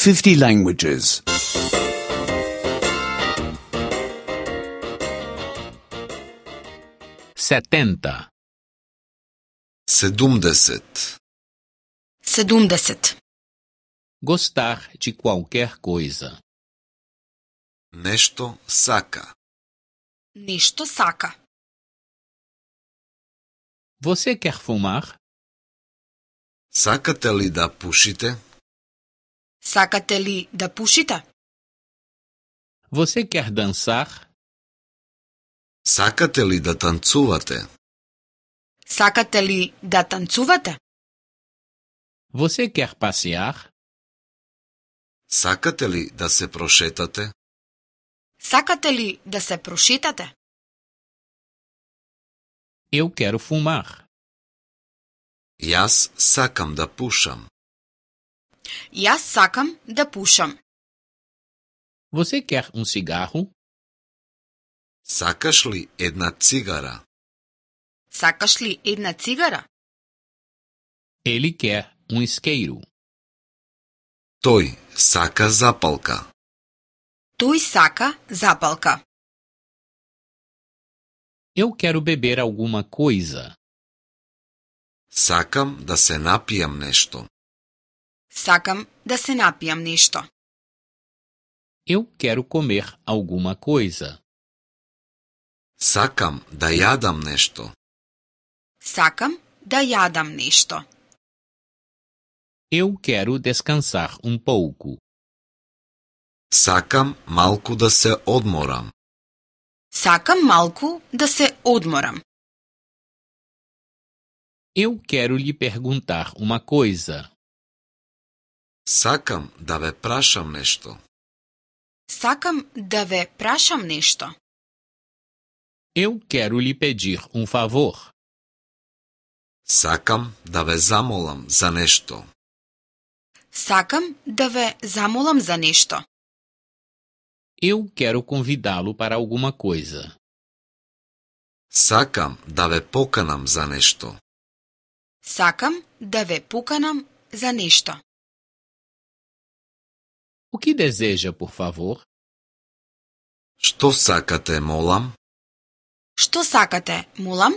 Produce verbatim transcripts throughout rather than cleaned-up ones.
fifty languages. setenta, Sedumdeset. Sedumdeset. gostar de qualquer coisa, Нешто сака. Нешто сака. você quer fumar? Сакате ли да пушите? Сакате ли да пушите? Você quer dançar? Сакате ли да танцувате? Сакате ли да танцувате? Você quer passear? Сакате ли да се прошетате? Сакате ли да се прошетате? Eu quero fumar. Јас сакам да пушам. Јас сакам да пушам. Você quer um cigarro? Сакаш ли една цигара? Сакаш ли една цигара? Ele quer um isqueiro. Тој сака запалка. Тој сака запалка. Eu quero beber alguma coisa. Сакам да се напијам нешто. Сакам да се напијам нешто. Eu quero comer alguma coisa. Сакам да јадам нешто. Сакам да јадам нешто. Eu quero descansar um pouco. Сакам малку да се одморам. Сакам малку да се одморам. Eu quero lhe perguntar uma coisa. Сакам да ве прашам нешто. Сакам да ве прашам нешто. Eu quero lhe pedir um favor. Сакам да ве замолам за нешто. Сакам да ве замолам за нешто. Eu quero convidá-lo para alguma coisa. Сакам да ве поканам за нешто. Сакам да ве поканам за нешто. O que deseja, por favor? Што сакате, молам? Што сакате, молам?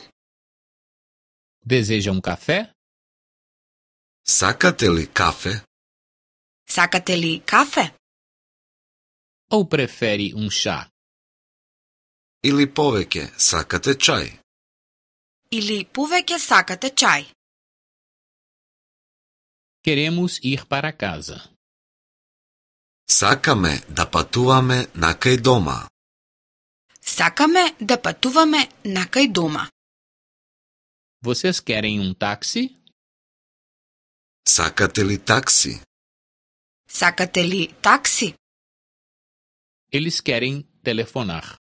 Deseja um café? Сакате ли кафе? Сакате ли кафе? Ou prefere um chá? Или повеќе сакате чај? Или повеќе сакате чај? Queremos ir para casa. Сакаме да патуваме накај дома. Сакаме да патуваме накај дома. Vocês querem um táxi? Сакате ли такси? Сакате ли такси? Eles querem telefonar.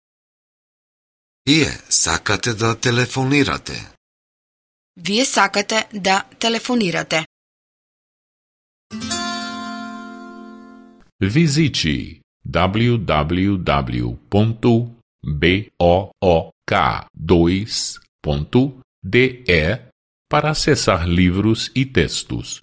Вие сакате да телефонирате. Вие сакате да телефонирате. Visite w w w ponto book dois ponto d e para acessar livros e textos.